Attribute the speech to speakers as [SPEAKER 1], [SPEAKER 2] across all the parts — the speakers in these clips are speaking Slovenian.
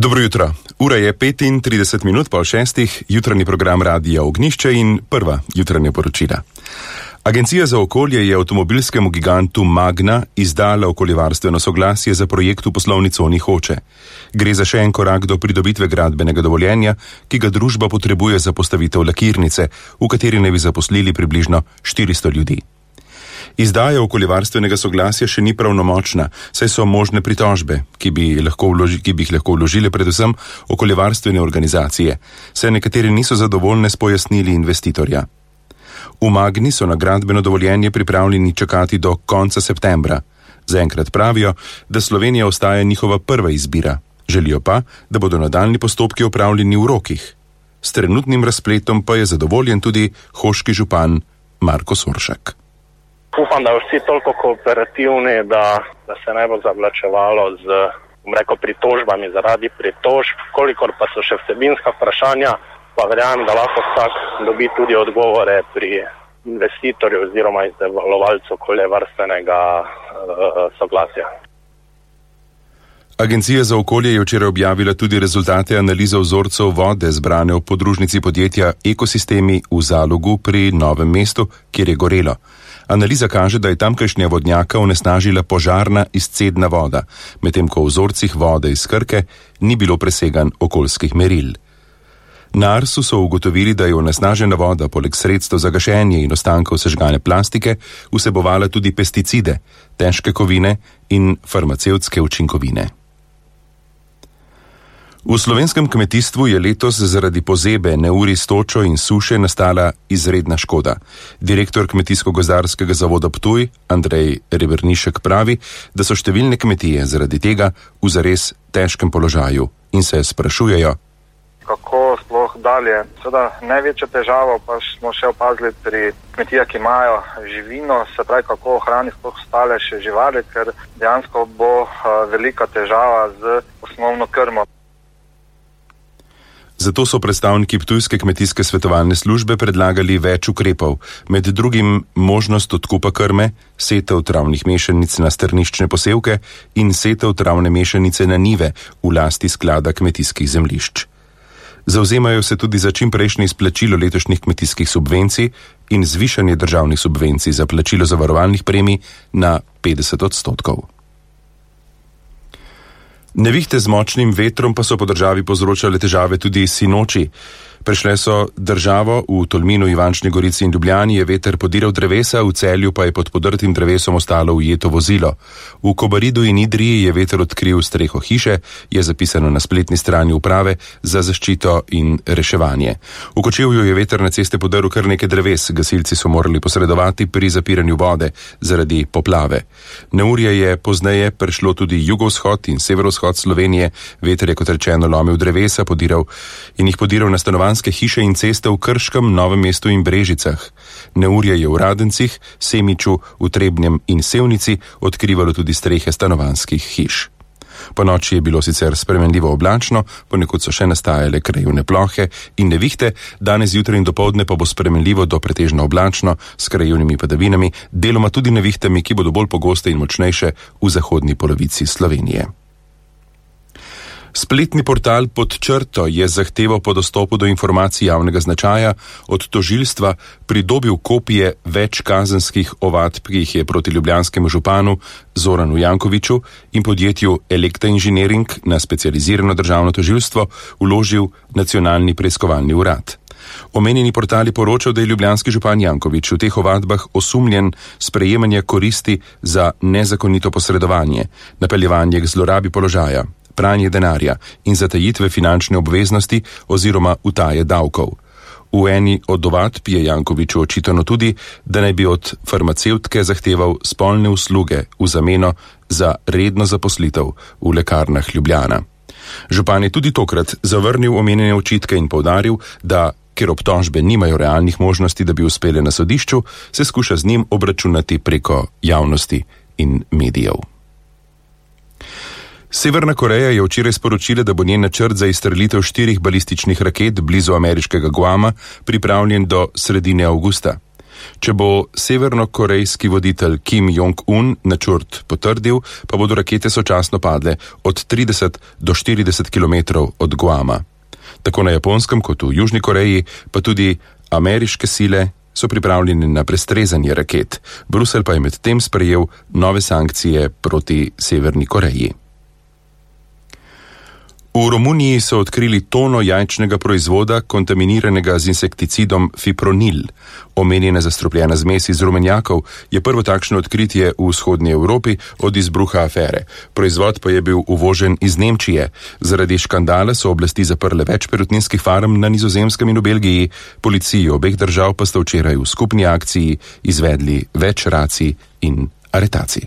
[SPEAKER 1] Dobro jutro. Ura je 35 minut po 6, jutranji program Radia Ognjišče in prva jutranja poročila. Agencija za okolje je avtomobilskemu gigantu Magna izdala okoljevarstveno soglasje za projekt v poslovni coni Hoče. Gre za še en korak do pridobitve gradbenega dovoljenja, ki ga družba potrebuje za postavitev lakirnice, v kateri naj bi zaposlili približno 400 ljudi. Izdaja okoljevarstvenega soglasja še ni pravnomočna, saj so možne pritožbe, ki bi jih lahko vložile predvsem okoljevarstvene organizacije, saj nekateri niso zadovoljne s pojasnili investitorja. V Magni so na gradbeno dovoljenje pripravljeni čakati do konca septembra. Zaenkrat pravijo, da Slovenija ostaja njihova prva izbira. Želijo pa, da bodo nadaljnji postopki opravljeni v rokih. S trenutnim razpletom pa je zadovoljen tudi hoški župan Marko Soršak.
[SPEAKER 2] Upam, da vsi toliko kooperativni, da se ne bo zavlačevalo z pritožbami zaradi pritožb, kolikor pa so še vsebinska vprašanja, pa verjamem, da lahko vsak dobi tudi odgovore pri investitorju oziroma izdelovalcu okoljevarstvenega soglasja.
[SPEAKER 1] Agencija za okolje je včeraj objavila tudi rezultate analize vzorcev vode zbrane v podružnici podjetja Ekosistemi v Zalogu pri Novem mestu, kjer je gorelo. Analiza kaže, da je tamkajšnja vodnjaka onesnažila požarna izcedna voda, medtem ko v vzorcih vode iz Krke ni bilo presegan okoljskih meril. Na Arsu so ugotovili, da je onesnažena voda poleg sredstev za gašenje in ostankov sežgane plastike vsebovala tudi pesticide, težke kovine in farmacevtske učinkovine. V slovenskem kmetijstvu je letos zaradi pozebe, neurij s točo in suše nastala izredna škoda. Direktor Kmetijsko-gozdarskega zavoda Ptuj, Andrej Rebernišek, pravi, da so številne kmetije zaradi tega v zares težkem položaju in se sprašujejo,
[SPEAKER 3] kako sploh dalje. Seveda največjo težavo pa smo še opazili pri kmetijah, ki imajo živino, se pravi, kako ohraniti sploh ostale še živali, ker dejansko bo velika težava z osnovno krmo.
[SPEAKER 1] Zato so predstavniki Ptujske kmetijske svetovalne službe predlagali več ukrepov, med drugim možnost odkupa krme, setev travnih mešanic na strniščne posevke in setev travne mešanice na njive v lasti sklada kmetijskih zemljišč. Zavzemajo se tudi za čimprejšnje izplačilo letošnjih kmetijskih subvencij in zvišanje državnih subvencij za plačilo zavarovalnih premij na 50%. Nevihte z močnim vetrom pa so po državi povzročale težave tudi sinoči. Prešle so državo, v Tolminu, Ivančni Gorici in Ljubljani je veter podiral drevesa, v Celju pa je pod podrtim drevesom ostalo ujeto vozilo. V Kobaridu in Idriji je veter odkril streho hiše, je zapisano na spletni strani uprave za zaščito in reševanje. V Kočevju je veter na ceste podrl kar nekaj dreves, gasilci so morali posredovati pri zapiranju vode zaradi poplave. Neurje je pozneje prešlo tudi jugovzhod in severovzhod Slovenije, veter je kot rečeno lomil drevesa, podiral na stanovanjske hiše in ceste v Krškem, Novem mestu in Brežicah. Neurje je v Radencih, Semiču, v Trebnjem in Sevnici odkrivalo tudi strehe stanovanjskih hiš. Po noči je bilo sicer spremenljivo oblačno, ponekod so še nastajale krajevne plohe in nevihte, danes zjutraj in dopoldne pa bo spremenljivo do pretežno oblačno s krajevnimi padavinami, deloma tudi nevihtami, ki bodo bolj pogoste in močnejše v zahodni polovici Slovenije. Spletni portal Pod črto je zahteval po dostopu do informacij javnega značaja od tožilstva pridobil kopije več kazenskih ovadb, ki jih je proti ljubljanskemu županu Zoranu Jankoviću in podjetju Elekta Inženiring na specializirano državno tožilstvo vložil Nacionalni preiskovalni urad. Omenjeni portal je poročal, da je ljubljanski župan Janković v teh ovadbah osumljen sprejemanja koristi za nezakonito posredovanje, napeljevanje k zlorabi položaja, pranje denarja in zatajitve finančne obveznosti oziroma utaje davkov. V eni od ovadb je Jankoviću očitano tudi, da naj bi od farmacevtke zahteval spolne usluge v zameno za redno zaposlitev v lekarnah Ljubljana. Župan je tudi tokrat zavrnil omenjene očitke in poudaril, da ker obtožbe nimajo realnih možnosti, da bi uspele na sodišču, se skuša z njim obračunati preko javnosti in medijev. Severna Koreja je včeraj sporočila, da bo njen načrt za izstrelitev 4 balističnih raket blizu ameriškega Guama pripravljen do sredine avgusta. Če bo severnokorejski voditelj Kim Jong-un načrt potrdil, pa bodo rakete sočasno padle od 30 do 40 km od Guama. Tako na Japonskem kot v Južni Koreji, pa tudi ameriške sile so pripravljeni na prestrezanje raket. Bruselj pa je medtem sprejel nove sankcije proti Severni Koreji. V Romuniji so odkrili tono jajčnega proizvoda, kontaminiranega z insekticidom fipronil. Omenjena zastrupljena zmes iz rumenjakov je prvo takšno odkritje v vzhodnji Evropi od izbruha afere. Proizvod pa je bil uvožen iz Nemčije. Zaradi škandala so oblasti zaprle več perutninskih farm na Nizozemskem in v Belgiji. Policiji obeh držav pa sta včeraj v skupni akciji izvedli več racij in aretacij.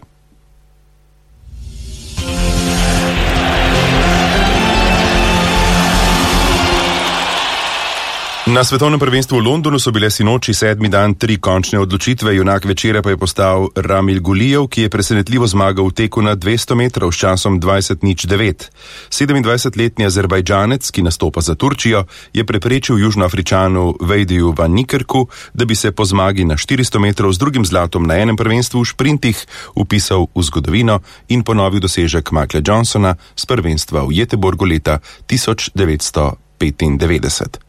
[SPEAKER 1] Na svetovnem prvenstvu v Londonu so bile sinoči 7. dan 3 končne odločitve, junak večera pa je postal Ramil Gulijev, ki je presenetljivo zmagal v teku na 200 metrov s časom 20:09. 27-letni Azerbajdžanec, ki nastopa za Turčijo, je preprečil Južnoafričanu Vejdiju van Nikerku, da bi se po zmagi na 400 metrov z drugim zlatom na enem prvenstvu v šprintih upisal v zgodovino in ponovil dosežek Michaela Johnsona z prvenstva v Göteborgu leta 1995.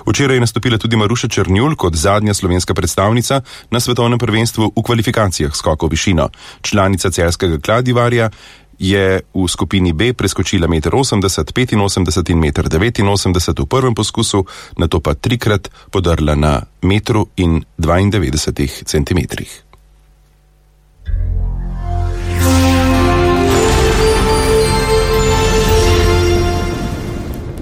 [SPEAKER 1] Včeraj je nastopila tudi Maruša Černjul kot zadnja slovenska predstavnica na svetovnem prvenstvu v kvalifikacijah skokov v višino. Članica celjskega Kladivarja je v skupini B preskočila 1,80 m, 85 in 1,89 m v prvem poskusu, nato pa trikrat podrla na 1,92 cm.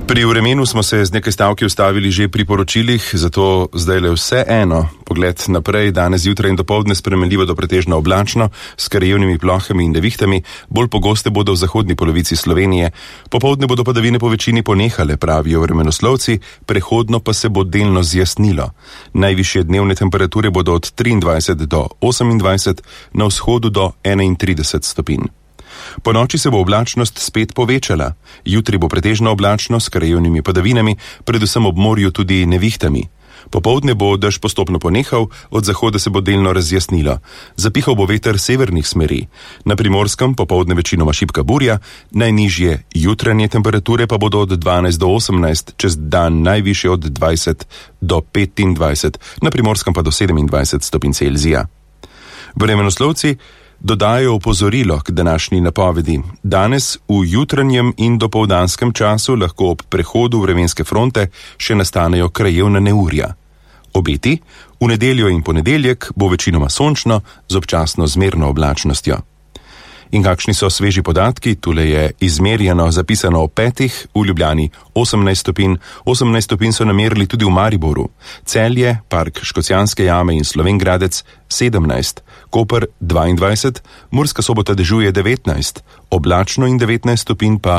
[SPEAKER 1] Pri vremenu smo se z nekaj stavki ustavili že pri poročilih, zato zdaj le vse eno. Pogled naprej, danes zjutraj in dopoldne spremenljivo do pretežno oblačno, s krajevnimi plohami in nevihtami, bolj pogoste bodo v zahodni polovici Slovenije. Popoldne bodo padavine po večini ponehale, pravijo vremenoslovci, prehodno pa se bo delno zjasnilo. Najvišje dnevne temperature bodo od 23 do 28, na vzhodu do 31 stopinj. Po noči se bo oblačnost spet povečala. Jutri bo pretežno oblačno s krajevnimi padavinami, predvsem ob morju tudi nevihtami. Popoldne bo dež postopno ponehal, od zahoda se bo delno razjasnilo. Zapihal bo veter severnih smeri. Na Primorskem popoldne večinoma šibka burja, najnižje jutranje temperature pa bodo od 12 do 18, čez dan najvišje od 20 do 25, na Primorskem pa do 27 stopinj Celzija. Vremenoslovci dodajo opozorilo k današnji napovedi. Danes v jutranjem in dopoldanskem času lahko ob prehodu vremenske fronte še nastanejo krajevna neurja. Obeti: v nedeljo in ponedeljek bo večinoma sončno z občasno zmerno oblačnostjo. In kakšni so sveži podatki? Tule je izmerjeno, zapisano o 5, v Ljubljani 18 stopinj, 18 stopinj so namerili tudi v Mariboru, Celje, Park Škocjanske jame in Slovenj Gradec 17, Koper 22, Murska Sobota dežuje 19, oblačno in 19 stopinj pa